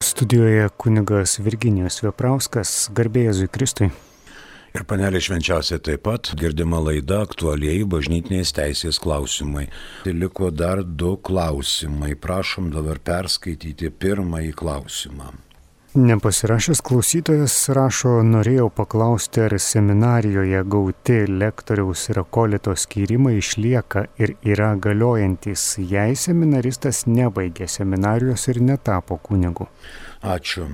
Studijoje kunigas Virginijus Veprauskas, garbė Jėzui Kristui. Ir panelė švenčiausia taip pat girdima laida aktualieji bažnytinės teisės klausimai. Tai liko dar 2 klausimai. Prašom dabar perskaityti pirmąjį klausimą. Nepasirašęs klausytojas rašo, norėjau paklausti, ar seminarijoje gauti lektoriaus ir akolito skyrimai išlieka ir yra galiojantis, jei seminaristas nebaigė seminarijos ir netapo kunigu. Ačiū.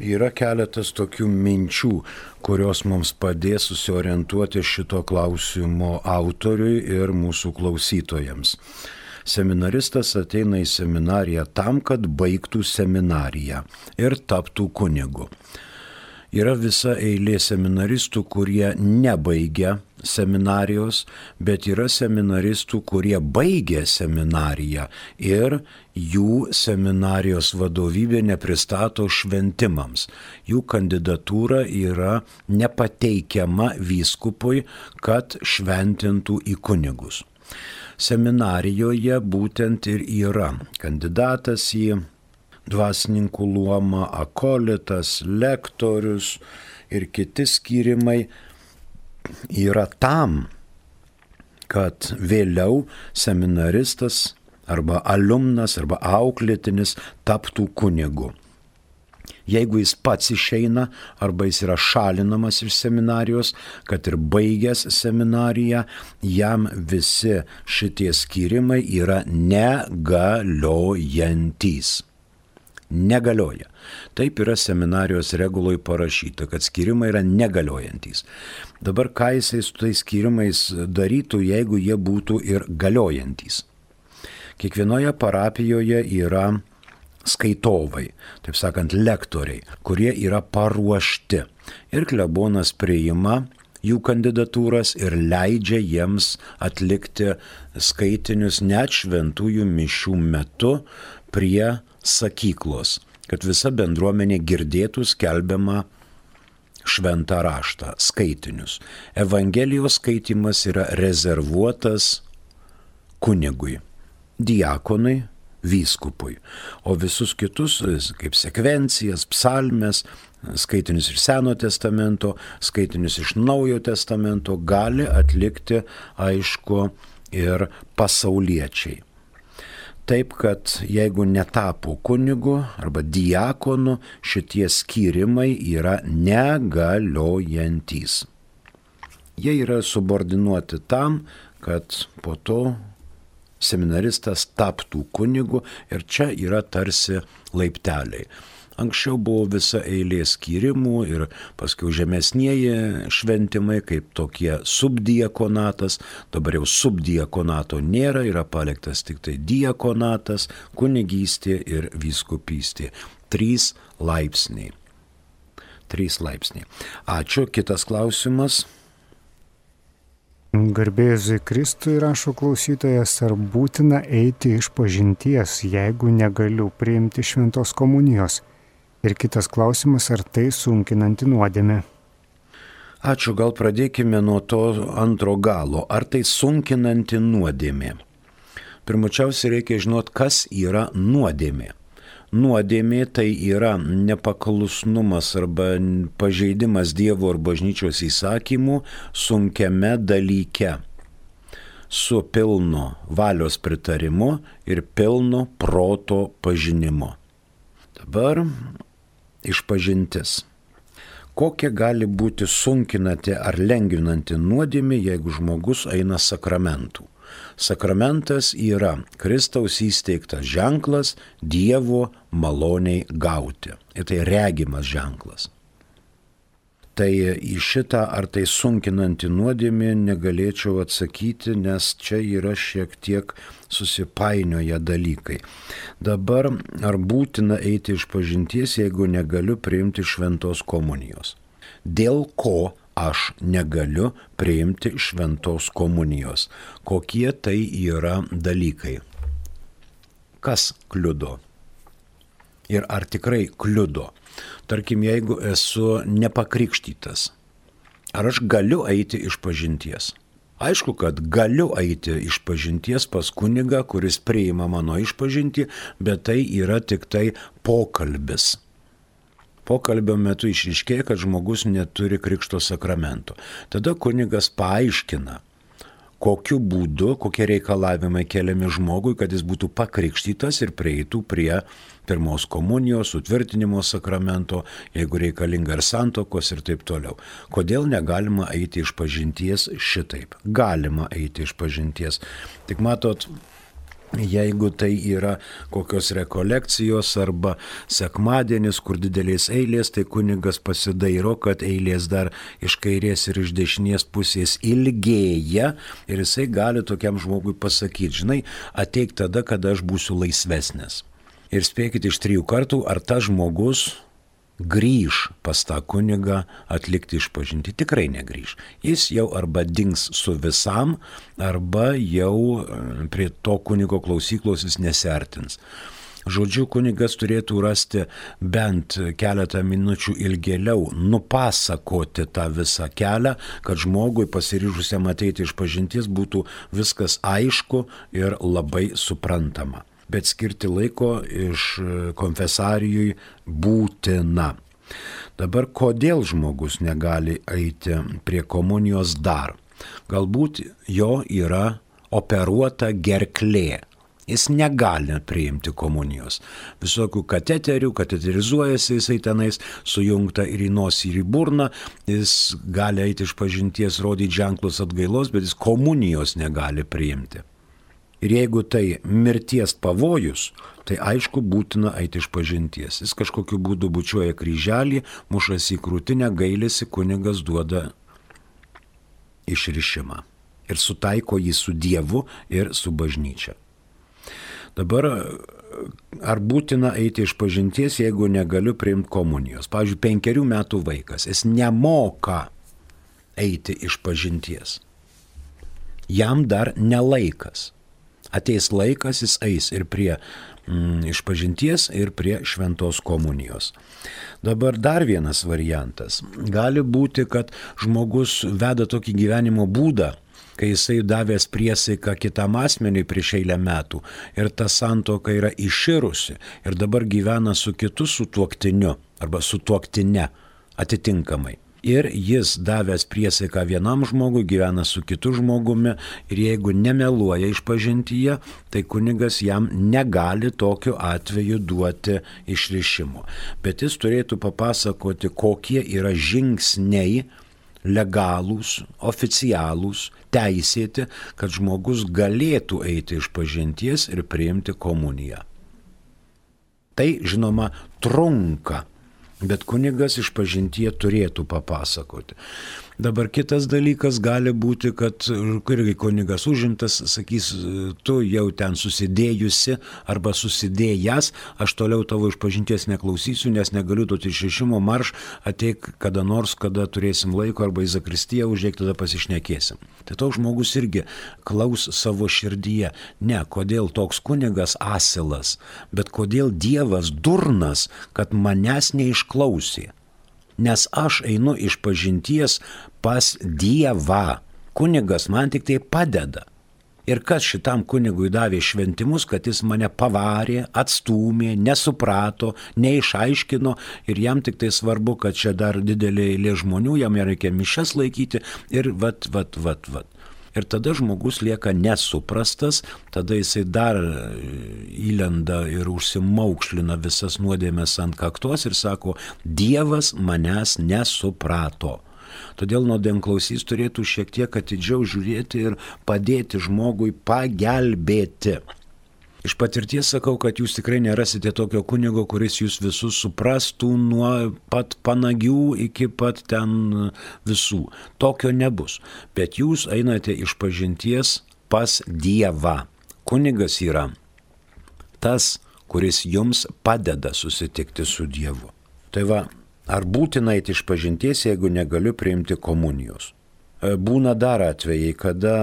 Yra keletas tokių minčių, kurios mums padės susiorientuoti šito klausimo autoriui ir mūsų klausytojams. Seminaristas ateina į seminariją tam, kad baigtų seminariją ir taptų kunigu. Yra visa eilė seminaristų, kurie nebaigia seminarijos, bet yra seminaristų, kurie baigia seminariją ir jų seminarijos vadovybė nepristato šventimams. Jų kandidatūra yra nepateikiama vyskupui, kad šventintų į kunigus. Seminarijoje būtent ir yra kandidatas į dvasininkų luomą, akolitas, lektorius ir kiti skyrimai yra tam, kad vėliau seminaristas arba alumnas arba auklėtinis taptų kunigu. Jeigu jis pats išeina arba jis yra šalinamas iš seminarijos, kad ir baigęs seminariją, jam visi šitie skyrimai yra negaliojantys. Negalioja. Taip yra seminarijos reguloj parašyta, kad skyrimai yra negaliojantys. Dabar ką jisai su tais skyrimais darytų, jeigu jie būtų ir galiojantys? Kiekvienoje parapijoje yra skaitovai, taip sakant, lektoriai, kurie yra paruošti. Ir klebonas priima jų kandidatūras ir leidžia jiems atlikti skaitinius net šventųjų mišių metu prie sakyklos, kad visa bendruomenė girdėtų skelbiamą šventą raštą, skaitinius. Evangelijos skaitimas yra rezervuotas kunigui, diakonui, vyskupui, o visus kitus, kaip sekvencijas, psalmes, skaitinius iš Seno testamento, skaitinius iš Naujojo testamento, gali atlikti, aišku, ir pasauliečiai. Taip, kad jeigu netapo kunigu arba diakonu, šitie skyrimai yra negaliojantys. Jie yra subordinuoti tam, kad po to seminaristas taptų kunigu ir čia yra tarsi laipteliai. Anksčiau buvo visa eilė skyrimų ir paskui žemesnieji šventimai, kaip tokie subdiakonatas. Dabar jau subdiakonato nėra, yra paliktas tik tai diakonatas, kunigystė ir vyskupystė. 3 laipsniai. Ačiū. Kitas klausimas. Garbė Jėzui Kristui, rašo klausytojas, ar būtina eiti išpažinties, jeigu negaliu priimti šventos komunijos? Ir kitas klausimas, ar tai sunkinanti nuodėmė? Ačiū, gal pradėkime nuo to antro galo. Ar tai sunkinanti nuodėmė? Pirmučiausiai reikia žinoti, kas yra nuodėmė. Nuodėmė tai yra nepaklusnumas arba pažeidimas Dievo ar bažnyčios įsakymų sunkiame dalyke su pilnu valios pritarimu ir pilnu proto pažinimu. Dabar išpažintis. Kokia gali būti sunkinanti ar lengvinanti nuodėmė, jeigu žmogus eina sakramentų? Sakramentas yra Kristaus įsteigtas ženklas Dievo maloniai gauti. Ir tai regimas ženklas. Tai į šitą, ar tai sunkinanti nuodėmė, negalėčiau atsakyti, nes čia yra šiek tiek susipainioję dalykai. Dabar, ar būtina eiti išpažinties, jeigu negaliu priimti šventos komunijos? Dėl ko aš negaliu priimti šventos komunijos? Kokie tai yra dalykai? Kas kliudo? Ir ar tikrai kliudo? Tarkim, jeigu esu nepakrikštytas, ar aš galiu eiti išpažinties? Aišku, kad galiu eiti išpažinties pas kunigą, kuris priima mano išpažintį, bet tai yra tik tai pokalbis. Pokalbio metu išryškėja, kad žmogus neturi krikšto sakramento. Tada kunigas paaiškina, kokiu būdu, kokie reikalavimai keliami žmogui, kad jis būtų pakrikštytas ir prieitų prie pirmos komunijos, sutvirtinimo sakramento, jeigu reikalinga ir santokos ir taip toliau. Kodėl negalima eiti išpažinties šitaip? Galima eiti išpažinties. Tik matot, jeigu tai yra kokios rekolekcijos arba sekmadienis, kur didelės eilės, tai kunigas pasidairo, kad eilės dar iš kairės ir iš dešinės pusės ilgėja ir jisai gali tokiam žmogui pasakyti, žinai, ateik tada, kada aš būsiu laisvesnis. Ir spėkit iš 3 kartų, ar tas žmogus grįž pas tą kunigą atlikti išpažintį. Tikrai negrįž. Jis jau arba dings su visam, arba jau prie to kunigo klausyklos jis nesertins. Žodžiu, kunigas turėtų rasti bent keletą minučių ilgėliau, nupasakoti tą visą kelią, kad žmogui pasiryžusiam ateiti išpažinties būtų viskas aišku ir labai suprantama. Bet skirti laiko iš konfesarijui būtina. Dabar kodėl žmogus negali eiti prie komunijos dar? Galbūt jo yra operuota gerklė. Jis negali priimti komunijos. Visokių kateterių, kateterizuojasi jisai tenais, sujungta ir į nosį, ir į burną. Jis gali eiti išpažinties, rodyti ženklus atgailos, bet jis komunijos negali priimti. Ir jeigu tai mirties pavojus, tai aišku būtina eiti išpažinties. Jis kažkokiu būdu bučiuoja kryželį, mušasi į krūtinę, gailisi, kunigas duoda išrišimą. Ir sutaiko jį su Dievu ir su bažnyčia. Dabar, ar būtina eiti išpažinties, jeigu negaliu priimti komunijos? Pavyzdžiui, 5 metų vaikas, jis nemoka eiti išpažinties. Jam dar nelaikas. Ateis laikas, jis eis ir prie išpažinties, ir prie šventos komunijos. Dabar dar vienas variantas. Gali būti, kad žmogus veda tokį gyvenimo būdą, kai jisai davęs priesaiką kitam asmeniui prieš eilę metų ir ta santuoka yra iširusi ir dabar gyvena su kitu sutuoktiniu arba sutuoktine atitinkamai. Ir jis davęs priesaiką vienam žmogui, gyvena su kitu žmogumi ir jeigu nemeluoja išpažintyje, tai kunigas jam negali tokiu atveju duoti išrišimo. Bet jis turėtų papasakoti, kokie yra žingsniai legalūs, oficialūs, teisėti, kad žmogus galėtų eiti išpažinties ir priimti komuniją. Tai, žinoma, trunka. Bet kunigas išpažintyje turėtų papasakoti. Dabar kitas dalykas gali būti, kad irgi kunigas užimtas, sakys, tu jau ten susidėjusi arba susidėjęs, aš toliau tavo išpažinties neklausysiu, nes negaliu duoti išrišimo, marš, ateik kada nors, kada turėsim laiko, arba į zakristiją užeik, tada pasišnekėsim. Tai toks žmogus irgi klaus savo širdyje. Ne, kodėl toks kunigas asilas, bet kodėl Dievas durnas, kad manęs neišklausė. Nes aš einu išpažinties pas Dievą. Kunigas man tik tai padeda. Ir kas šitam kunigui davė šventimus, kad jis mane pavarė, atstūmė, nesuprato, neišaiškino ir jam tik tai svarbu, kad čia dar didelė eilė žmonių, jam reikia mišias laikyti ir vat. Ir tada žmogus lieka nesuprastas, tada jisai dar įlenda ir užsimaukšlina visas nuodėmes ant kaktos ir sako, Dievas manęs nesuprato. Todėl nuodėmklausys turėtų šiek tiek atidžiau žiūrėti ir padėti žmogui pagelbėti. Iš patirties sakau, kad jūs tikrai nerasite tokio kunigo, kuris jūs visus suprastų nuo pat panagių iki pat ten visų. Tokio nebus. Bet jūs einate išpažinties pas Dievą. Kunigas yra tas, kuris jums padeda susitikti su Dievu. Tai va, ar būtina eiti išpažinties, jeigu negaliu priimti komunijos? Būna dar atvejai, kada,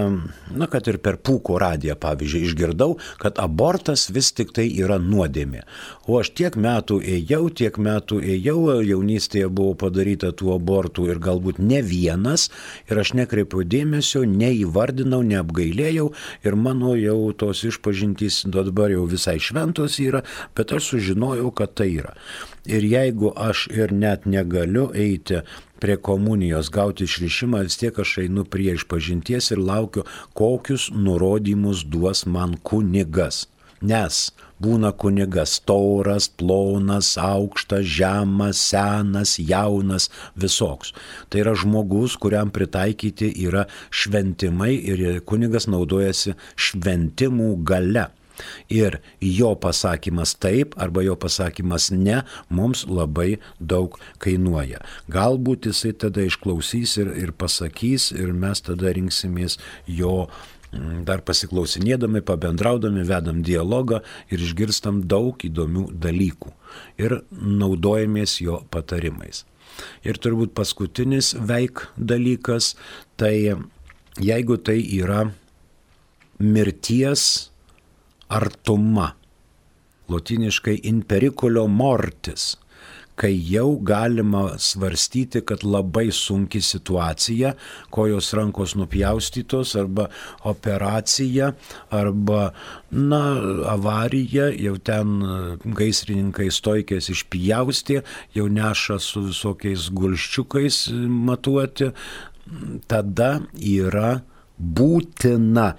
kad ir per Pūko radiją, pavyzdžiui, išgirdau, kad abortas vis tik tai yra nuodėmė. O aš tiek metų ėjau, jaunystėje buvo padaryta tų abortų ir galbūt ne vienas, ir aš nekreipiau dėmesio, neįvardinau, neapgailėjau, ir mano jau tos išpažintys dabar jau visai šventos yra, bet aš sužinojau, kad tai yra. Ir jeigu aš ir net negaliu eiti prie komunijos, gauti išrišimą, vis tiek aš einu prie išpažinties ir laukiu, kokius nurodymus duos man kunigas. Nes būna kunigas storas, plonas, aukštas, žemas, senas, jaunas, visoks. Tai yra žmogus, kuriam pritaikyti yra šventimai ir kunigas naudojasi šventimų gale. Ir jo pasakymas taip arba jo pasakymas ne mums labai daug kainuoja. Galbūt jisai tada išklausys ir pasakys ir mes tada rinksimės jo dar pasiklausinėdami, pabendraudami, vedam dialogą ir išgirstam daug įdomių dalykų ir naudojamės jo patarimais. Ir turbūt paskutinis veik dalykas, tai jeigu tai yra mirties artuma, lotyniškai in periculo mortis, kai jau galima svarstyti, kad labai sunki situacija, kojos rankos nupjaustytos, arba operacija, arba, avarija, jau ten gaisrininkai stoikės išpjaustė, jau neša su visokiais gulščiukais matuoti, tada yra būtina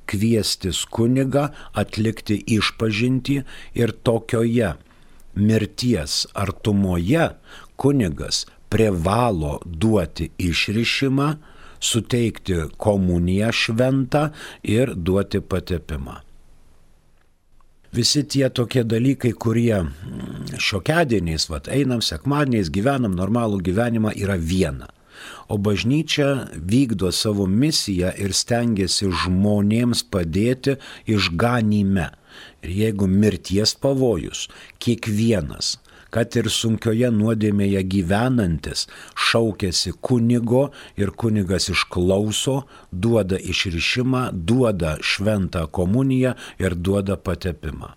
kviestis kunigą, atlikti išpažintį ir tokioje mirties artumoje kunigas privalo duoti išrišimą, suteikti komuniją šventą ir duoti patepimą. Visi tie tokie dalykai, kurie šiokiadieniais, einam sekmadieniais, gyvenam normalų gyvenimą, yra viena. O bažnyčia vykdo savo misiją ir stengiasi žmonėms padėti išganyme. Ir jeigu mirties pavojus, kiekvienas, kad ir sunkioje nuodėmėje gyvenantis, šaukiasi kunigo ir kunigas išklauso, duoda išrišimą, duoda šventą komuniją ir duoda patepimą.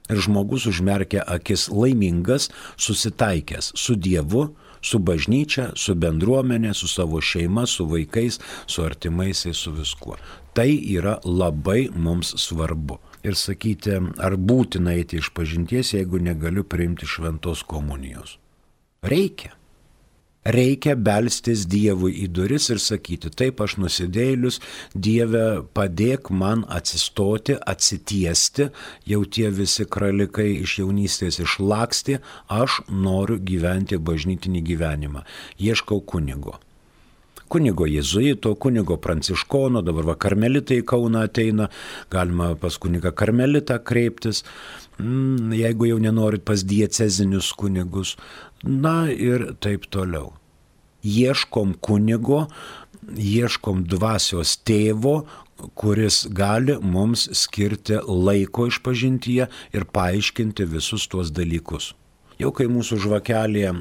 Ir žmogus užmerkia akis laimingas, susitaikęs su Dievu, su bažnyčia, su bendruomenė, su savo šeima, su vaikais, su artimaisiais, su viskuo. Tai yra labai mums svarbu. Ir sakyti, ar būtina eiti išpažinties, jeigu negaliu priimti šventos komunijos. Reikia belstis Dievui į duris ir sakyti, taip aš nusidėjėlius, Dieve padėk man atsistoti, atsitiesti, jau tie visi kralikai iš jaunystės išlaksti, aš noriu gyventi bažnytinį gyvenimą. Ieškau kunigo. Kunigo jėzuito, kunigo pranciškono, dabar karmelitai į Kauną ateina, galima pas kunigą karmelitą kreiptis, jeigu jau nenorit pas diecezinius kunigus, ir taip toliau. Ieškom kunigo, ieškom dvasios tėvo, kuris gali mums skirti laiko išpažintyje ir paaiškinti visus tuos dalykus. Jau kai mūsų žvakelė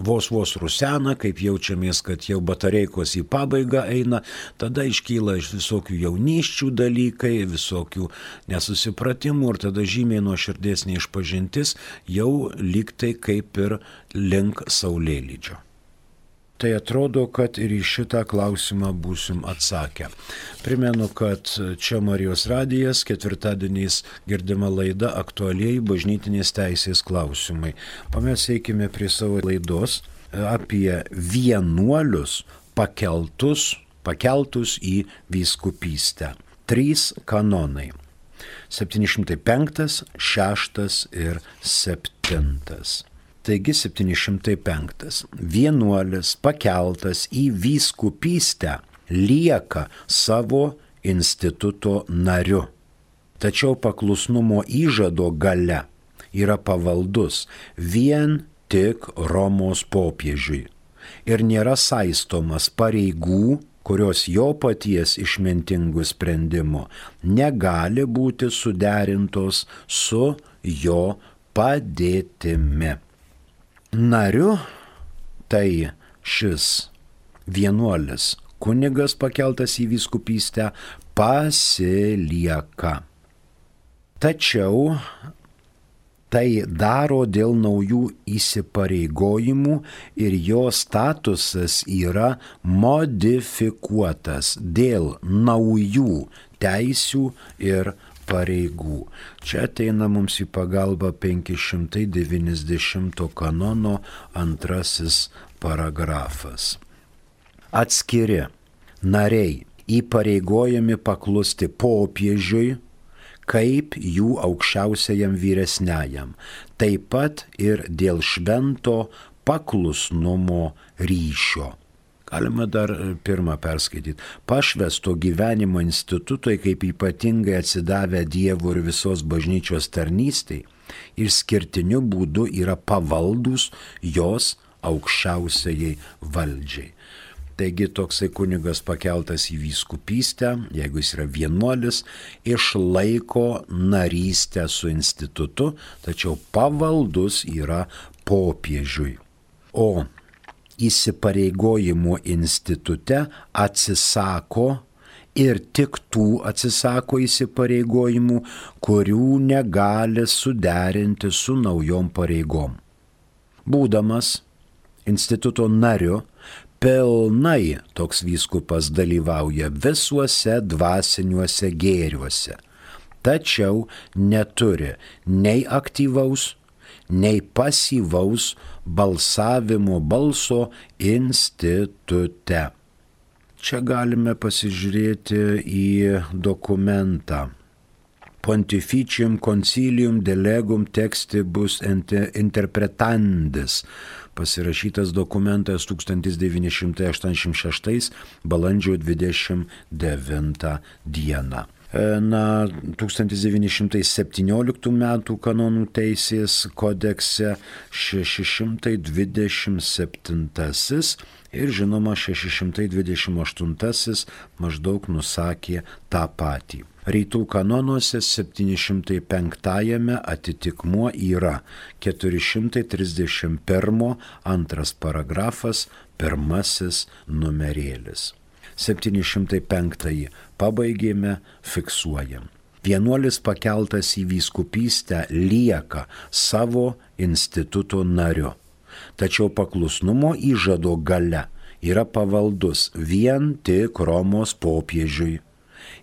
vos rusena, kaip jaučiamės, kad jau batareikos į pabaigą eina, tada iškyla iš visokių jaunysčių dalykai, visokių nesusipratimų ir tada žymiai nuoširdesnė išpažintis jau lygtai kaip ir link saulėlydžio. Tai atrodo, kad ir į šitą klausimą būsim atsakę. Primenu, kad čia Marijos radijas, ketvirtadieniais girdima laida aktualieji bažnytinės teisės klausimai. O mes eikime prie savo laidos apie vienuolius pakeltus į vyskupystę. 3 kanonai. 705, 6 ir 7. Taigi 705. Vienuolis pakeltas į vyskupystę lieka savo instituto nariu. Tačiau paklusnumo įžado gale yra pavaldus vien tik Romos popiežiui ir nėra saistomas pareigų, kurios jo paties išmintingų sprendimų negali būti suderintos su jo padėtimi. Nariu tai šis vienuolis kunigas pakeltas į vyskupystę pasilieka. Tačiau tai daro dėl naujų įsipareigojimų ir jo statusas yra modifikuotas dėl naujų teisių ir pareigų. Čia ateina mums į pagalbą 590 kanono 2 paragrafas. Atskiri nariai įpareigojami paklusti popiežiui kaip jų aukščiausiajam vyresniajam, taip pat ir dėl švento paklusnumo ryšio. Galima dar pirmą perskaityti. Pašvęsto gyvenimo institutui kaip ypatingai atsidavę Dievo ir visos bažnyčios tarnystei išskirtiniu būdu yra pavaldus jos aukščiausiai valdžiai. Taigi toksai kunigas pakeltas į vyskupystę, jeigu jis yra vienuolis, išlaiko narystę su institutu, tačiau pavaldus yra popiežiui. O įsipareigojimų institute atsisako ir tik tų atsisako įsipareigojimų, kurių negali suderinti su naujom pareigom. Būdamas instituto nariu, pilnai toks vyskupas dalyvauja visuose dvasiniuose gėriuose, tačiau neturi nei aktyvaus, nei pasyvaus balsavimo balso institute. Čia galime pasižiūrėti į dokumentą. Pontificium concilium delegum textibus interpretandis, pasirašytas dokumentas 1986 balandžio 29 dieną. 1917 metų kanonų teisės kodekse 627 ir žinoma 628 maždaug nusakė tą patį. Rytų kanonuose 705 atitikmuo yra 431 2 paragrafas 1 numerėlis. 705 pabaigėme, fiksuojam. Vienuolis pakeltas į vyskupystę lieka savo instituto nariu, tačiau paklusnumo įžado gale yra pavaldus vien tik Romos popiežiui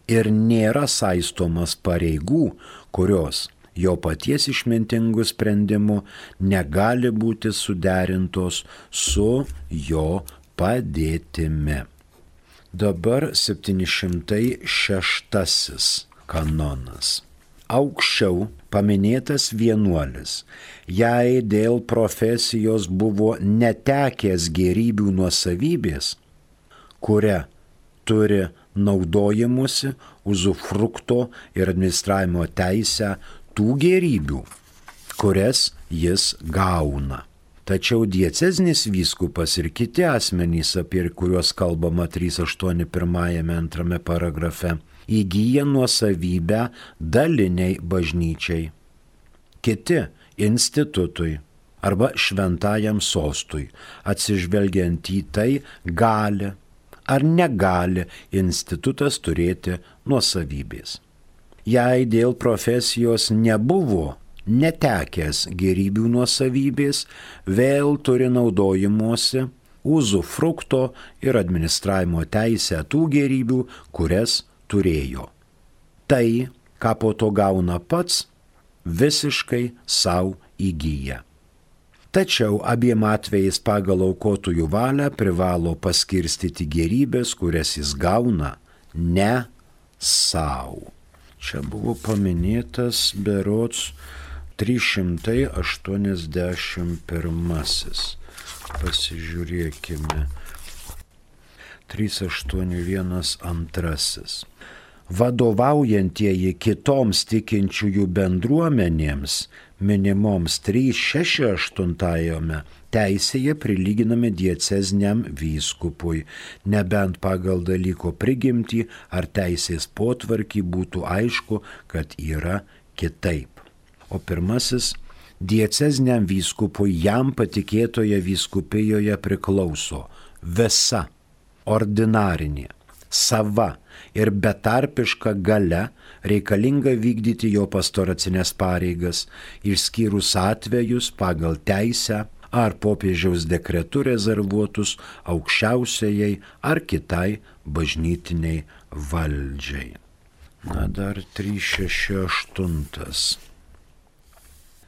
ir nėra saistomas pareigų, kurios jo paties išmintingų sprendimų negali būti suderintos su jo padėtimi. Dabar 706 kanonas. Aukščiau paminėtas vienuolis, jei dėl profesijos buvo netekęs gėrybių nuosavybės, kuria turi naudojimusi uzufrukto ir administravimo teisę tų gėrybių, kurias jis gauna. Tačiau dieceznis vyskupas ir kiti asmenys, apie kuriuos kalbama 381 paragrafe, įgyja nuosavybę daliniai bažnyčiai, kiti institutui arba šventajam sostui, atsižvelgiant į tai, gali ar negali institutas turėti nuosavybės. Jei dėl profesijos nebuvo netekęs gėrybių nuosavybės, vėl turi naudojimuosi uzufrukto ir administravimo teisę tų gėrybių, kurias turėjo. Tai, ką po to gauna pats, visiškai savo įgyja. Tačiau abiem atvejais pagal aukotojų valią privalo paskirstyti gėrybės, kurias jis gauna, ne savo. Čia buvo paminėtas berods 381. Pasižiūrėkime. 381. Vadovaujantieji kitoms tikinčiųjų bendruomenėms minimoms 368 teisėje prilyginami diecezniam vyskupui, nebent pagal dalyko prigimtį ar teisės potvarkį būtų aišku, kad yra kitaip. O pirmasis, diecezniam vyskupui jam patikėtoje vyskupijoje priklauso visa ordinarinė, sava ir betarpiška galia reikalinga vykdyti jo pastoracinės pareigas, išskyrus atvejus pagal teisę ar popiežiaus dekretu rezervuotus aukščiausiajai ar kitai bažnytiniai valdžiai. Na dar 368.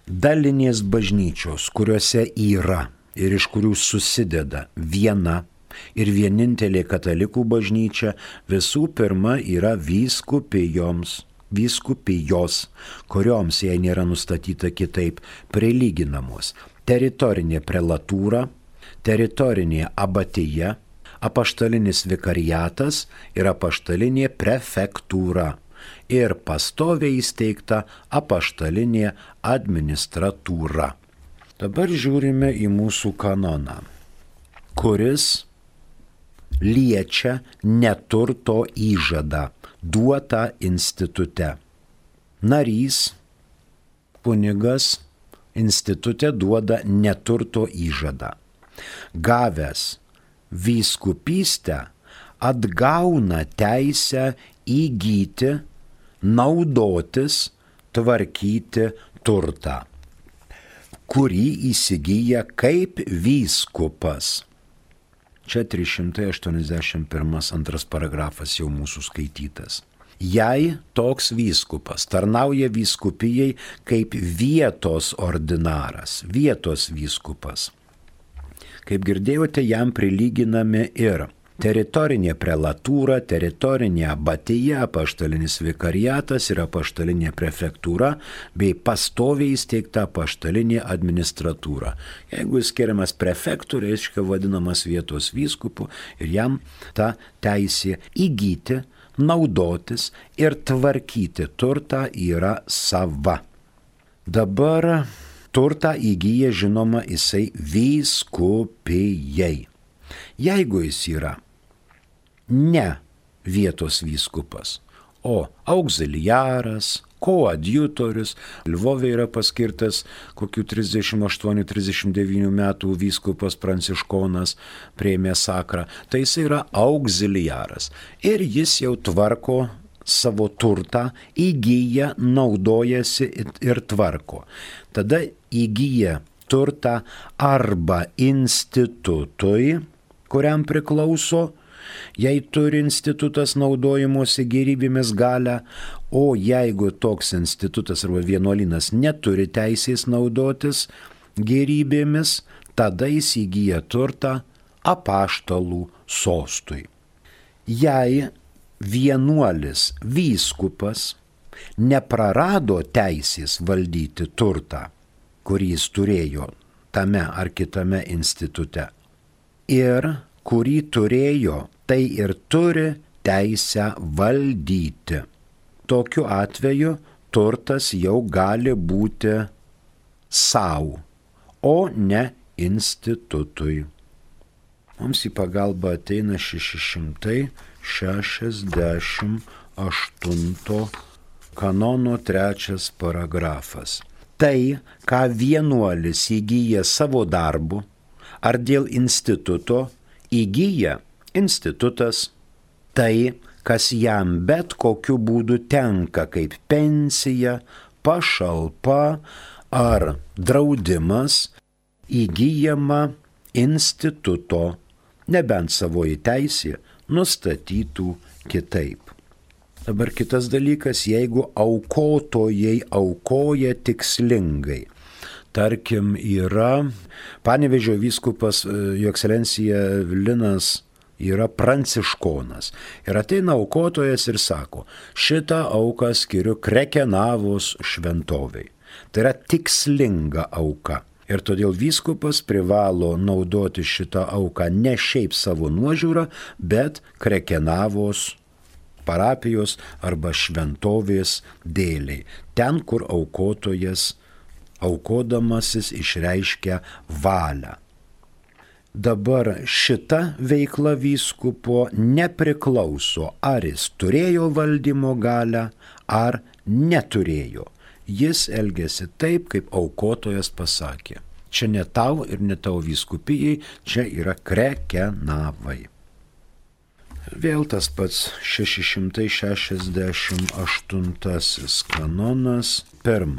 Dalinės bažnyčios, kuriuose yra ir iš kurių susideda viena ir vienintelė katalikų bažnyčia, visų pirma yra vyskupijos, kurioms, jei nėra nustatyta kitaip, prilyginamos teritorinė prelatūra, teritorinė abatija, apaštalinis vikariatas ir apaštalinė prefektūra ir pastoviai įsteigta apaštalinė administratūra. Dabar žiūrime į mūsų kanoną, kuris liečia neturto įžadą duotą institute. Narys, kunigas institute duoda neturto įžadą. Gavęs vyskupystę atgauna teisę įgyti, naudotis, tvarkyti turtą, kurį įsigyja kaip vyskupas. Čia 381 antras paragrafas jau mūsų skaitytas. Jei toks vyskupas tarnauja vyskupijai kaip vietos ordinaras, vietos vyskupas, kaip girdėjote, jam prilyginami ir teritorinė prelatūra, teritorinė abatija, apaštalinis vikariatas ir apaštalinė prefektūra bei pastoviai įsteigta apaštalinė administratūra. Jeigu jis skiriamas prefektų, reiškia vadinamas vietos vyskupu ir jam ta teisė įgyti, naudotis ir tvarkyti turtą yra sava. Dabar turtą įgyja, žinoma, jisai vyskupijai. Jeigu jis yra ne vietos vyskupas, o auxiliaras, koadjutorius, Lvove yra paskirtas kokių 38-39 metų vyskupas pranciškonas, priėmė sakrą, tai jis yra auxiliaras ir jis jau tvarko savo turtą, įgyja, naudojasi ir tvarko. Tada įgyja turtą arba institutui, kuriam priklauso, jei turi institutas naudojimuose gėrybėmis galią, o jeigu toks institutas arba vienuolynas neturi teisės naudotis gėrybėmis, tada jis įgyja turtą apaštalų sostui. Jei vienuolis vyskupas neprarado teisės valdyti turtą, kurį jis turėjo tame ar kitame institute, ir kurį turėjo, tai ir turi teisę valdyti. Tokiu atveju turtas jau gali būti savo, o ne institutui. Mums į pagalbą ateina 668 kanono 3 paragrafas. Tai, ką vienuolis įgyja savo darbu ar dėl instituto, įgyja institutas. Tai, kas jam bet kokiu būdu tenka kaip pensija, pašalpa ar draudimas, įgyjama instituto, nebent savoji teisė nustatytų kitaip. Dabar kitas dalykas, jeigu aukotojai aukoja tikslingai. Tarkim, yra Panevėžio vyskupas, jo ekscelencija Linas, yra pranciškonas. Ir ateina aukotojas ir sako, šitą auką skiriu Krekenavos šventovei. Tai yra tikslinga auka. Ir todėl vyskupas privalo naudoti šitą auką ne šiaip savo nuožiūrą, bet Krekenavos parapijos arba šventovės dėliai. Ten, kur aukotojas, aukodamasis išreiškia valią. Dabar šita veikla vyskupo nepriklauso, ar jis turėjo valdymo galią, ar neturėjo. Jis elgėsi taip, kaip aukotojas pasakė. Čia ne tau ir ne tavo vyskupijai, čia yra Krekenavai. Vėl tas pats 668 kanonas, 1.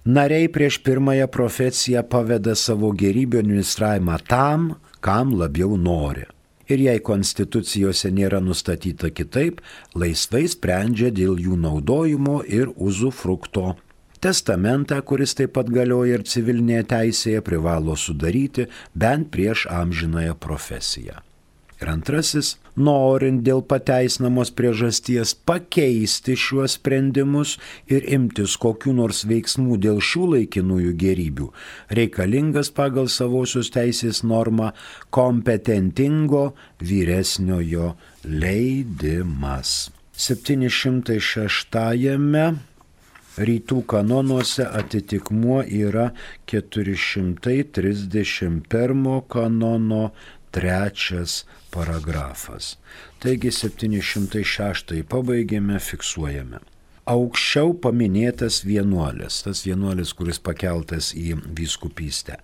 Nariai prieš pirmąją profesiją paveda savo gėrybių administravimą tam, kam labiau nori. Ir jei konstitucijose nėra nustatyta kitaip, laisvai sprendžia dėl jų naudojimo ir uzufrukto. Testamentą, kuris taip pat galioja ir civilinėje teisėje, privalo sudaryti bent prieš amžinąją profesiją. Ir 2. Norint dėl pateisinamos priežasties pakeisti šiuos sprendimus ir imtis kokių nors veiksmų dėl šių laikinųjų gėrybių, reikalingas pagal savosios teisės normą kompetentingo vyresniojo leidimas. 706 rytų kanonuose atitikmuo yra 431 kanono 3 paragrafas. Taigi 706 pabaigėme, fiksuojame. Aukščiau paminėtas vienuolis, tas vienuolis, kuris pakeltas į vyskupystę.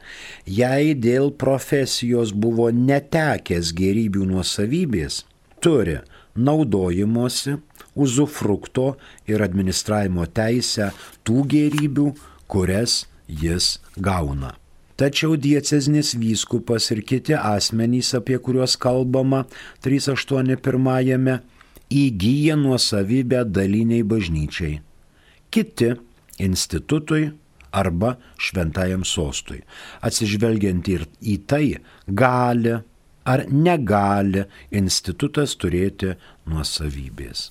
Jei dėl profesijos buvo netekęs gėrybių nuosavybės, turi naudojimosi, uzufrukto ir administravimo teisę tų gėrybių, kurias jis gauna. Tačiau diecezinis vyskupas ir kiti asmenys, apie kuriuos kalbama 381, įgyja nuosavybę daliniai bažnyčiai, kiti institutui arba šventajam sostui. Atsižvelgiant ir į tai, gali ar negali institutas turėti nuosavybės.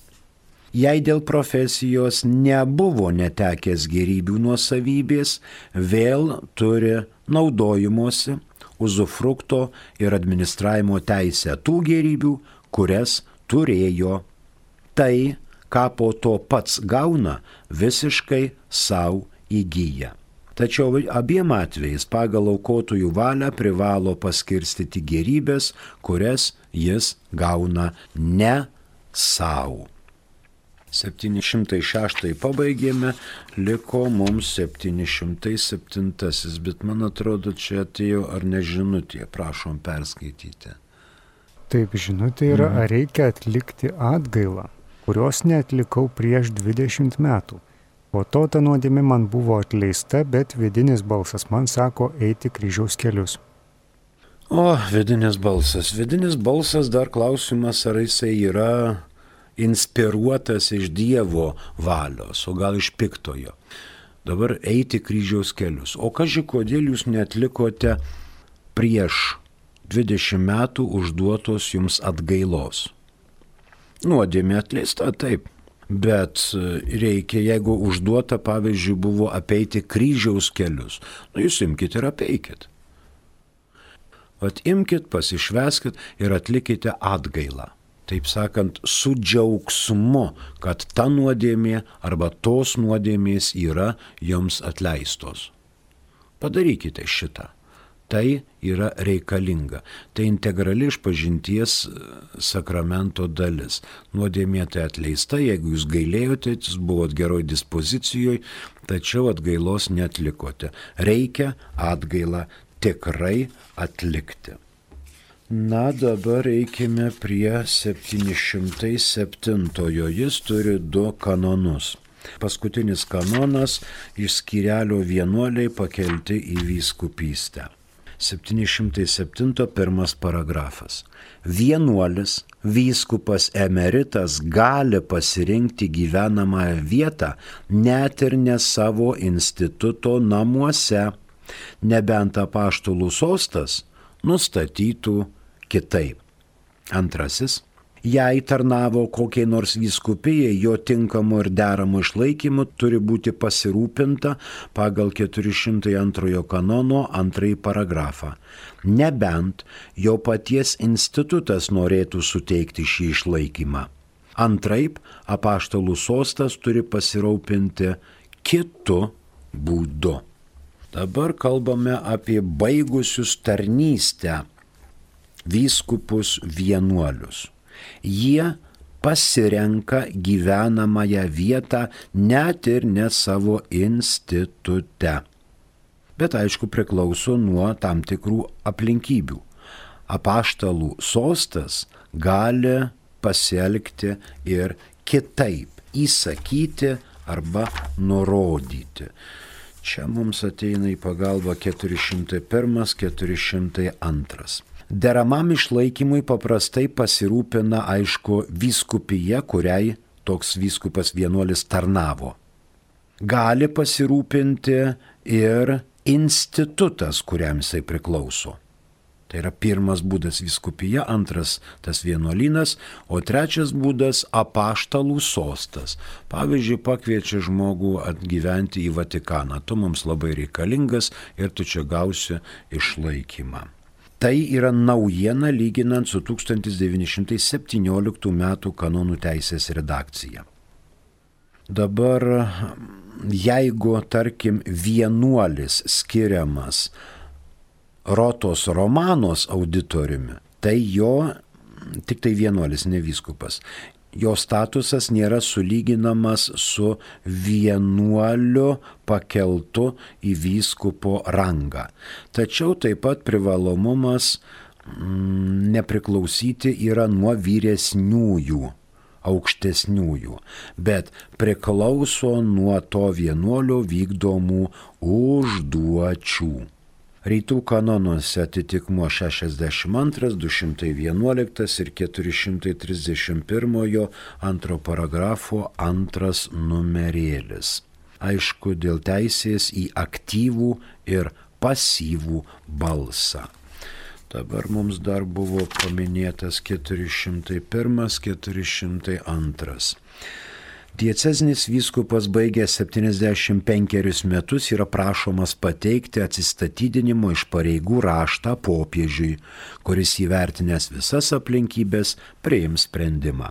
Jei dėl profesijos nebuvo netekęs gėrybių nuosavybės, vėl turi naudojimosi, uzufrukto ir administravimo teisę tų gėrybių, kurias turėjo. Tai, ką po to pats gauna, visiškai savo įgyja. Tačiau abiem atvejais pagal aukotojų valią privalo paskirstyti gėrybės, kurias jis gauna ne savo. 706 pabaigėme, liko mums 707, bet man atrodo, čia atėjo ar ne žinutė, prašom perskaityti. Taip, žinutė yra, ar reikia atlikti atgailą, kurios neatlikau prieš 20 metų. Po to ta nuodėmė man buvo atleista, bet vidinis balsas man sako eiti kryžiaus kelius. O, vidinis balsas dar klausimas, ar jisai yra inspiruotas iš Dievo valios, o gal iš piktojo. Dabar eiti kryžiaus kelius. O kaži, kodėl jūs neatlikote prieš 20 metų užduotos jums atgailos? Nuodėmė atleista, taip. Bet reikia, jeigu užduota, pavyzdžiui, buvo apeiti kryžiaus kelius, jūs imkite ir apeikit. Vat imkit, pasišveskit ir atlikite atgailą. Taip sakant, su džiaugsmu, kad ta nuodėmė arba tos nuodėmės yra jums atleistos. Padarykite šitą. Tai yra reikalinga. Tai integrali išpažinties sakramento dalis. Nuodėmė tai atleista, jeigu jūs gailėjote, jūs buvot geroj dispozicijoje, tačiau atgailos neatlikote. Reikia atgailą tikrai atlikti. Na, dabar eikime prie 707. Jis turi 2 kanonus. Paskutinis kanonas iš skyrelio vienuoliai pakelti į vyskupystę. 707 1 paragrafas. Vienuolis, vyskupas emeritas gali pasirinkti gyvenamąją vietą net ir ne savo instituto namuose, nebent apaštalų sostas nustatytų kitaip. 2. Jei tarnavo kokiai nors vyskupijai, jo tinkamu ir deramu išlaikymu turi būti pasirūpinta pagal 402 kanono 2 paragrafą. Nebent jo paties institutas norėtų suteikti šį išlaikymą. Antraip, apaštalų sostas turi pasirūpinti kitu būdu. Dabar kalbame apie baigusius tarnystę vyskupus vienuolius. Jie pasirenka gyvenamąją vietą net ir ne savo institute. Bet aišku priklauso nuo tam tikrų aplinkybių. Apaštalų sostas gali pasielgti ir kitaip, įsakyti arba nurodyti. Čia mums ateina į pagalbą 401-402. Deramam išlaikymui paprastai pasirūpina, aišku, vyskupija, kuriai toks vyskupas vienuolis tarnavo. Gali pasirūpinti ir institutas, kuriam jisai priklauso. Tai yra pirmas būdas vyskupija, antras tas vienuolynas, o trečias būdas apaštalų sostas. Pavyzdžiui, pakviečia žmogų atgyventi į Vatikaną. Tu mums labai reikalingas ir tu čia gausi išlaikymą. Tai yra naujiena lyginant su 1917 metų kanonų teisės redakcija. Dabar, jeigu, tarkim, vienuolis skiriamas Rotos Romanos auditoriumi, tai jo, tik tai vienuolis, ne vyskupas, jo statusas nėra sulyginamas su vienuoliu pakeltu į vyskupo rangą. Tačiau taip pat privalomumas nepriklausyti yra nuo vyresniųjų, aukštesniųjų, bet priklauso nuo to vienuolio vykdomų užduočių. Rytų kanonuose atitikmuo 62, 211 ir 431 antro paragrafo antras numerėlis. Aišku, dėl teisės į aktyvų ir pasyvų balsą. Dabar mums dar buvo paminėtas 401, 402. Diecezinis vyskupas baigęs 75 metus yra prašomas pateikti atsistatydinimo iš pareigų raštą popiežiui, kuris įvertinęs visas aplinkybės priims sprendimą.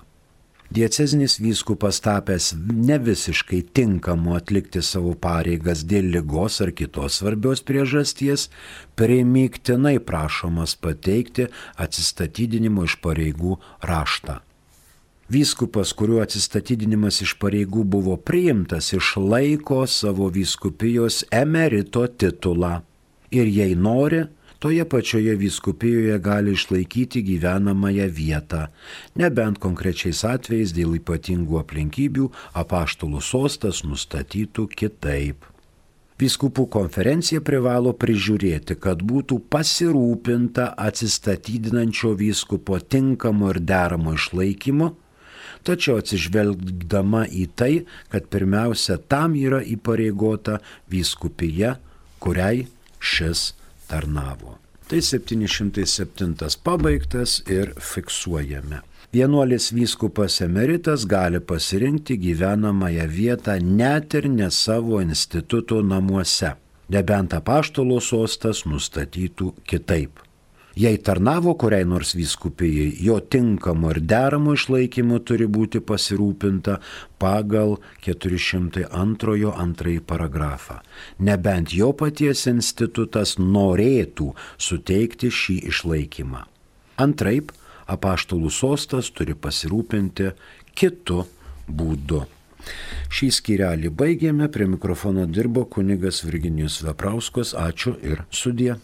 Diecezinis vyskupas tapęs ne visiškai tinkamu atlikti savo pareigas dėl ligos ar kitos svarbios priežasties, primygtinai prašomas pateikti atsistatydinimo iš pareigų raštą. Vyskupas, kuriuo atsistatydinimas iš pareigų buvo priimtas, išlaiko savo vyskupijos emerito titulą ir jei nori, toje pačioje vyskupijoje gali išlaikyti gyvenamąją vietą, nebent konkrečiais atvejais dėl ypatingų aplinkybių apaštalų sostas nustatytų kitaip. Vyskupų konferencija privalo prižiūrėti, kad būtų pasirūpinta atsistatydinančio vyskupo tinkamo ir deramo išlaikymo, tačiau atsižvelgdama į tai, kad pirmiausia tam yra įpareigota vyskupija, kuriai šis tarnavo. Tai 707 pabaigtas ir fiksuojame. Vienuolis vyskupas emeritas gali pasirinkti gyvenamąją vietą net ir ne savo instituto namuose, nebent apaštalo sostas nustatytų kitaip. Jei tarnavo kuriai nors vyskupijai, jo tinkamo ir deramo išlaikymo turi būti pasirūpinta pagal 402 antrąjį paragrafą, nebent jo paties institutas norėtų suteikti šį išlaikymą. Antraip, apaštalų sostas turi pasirūpinti kitu būdu. Šį skyrelį baigėme, prie mikrofono dirbo kunigas Virginijus Veprauskas, ačiū ir sudie.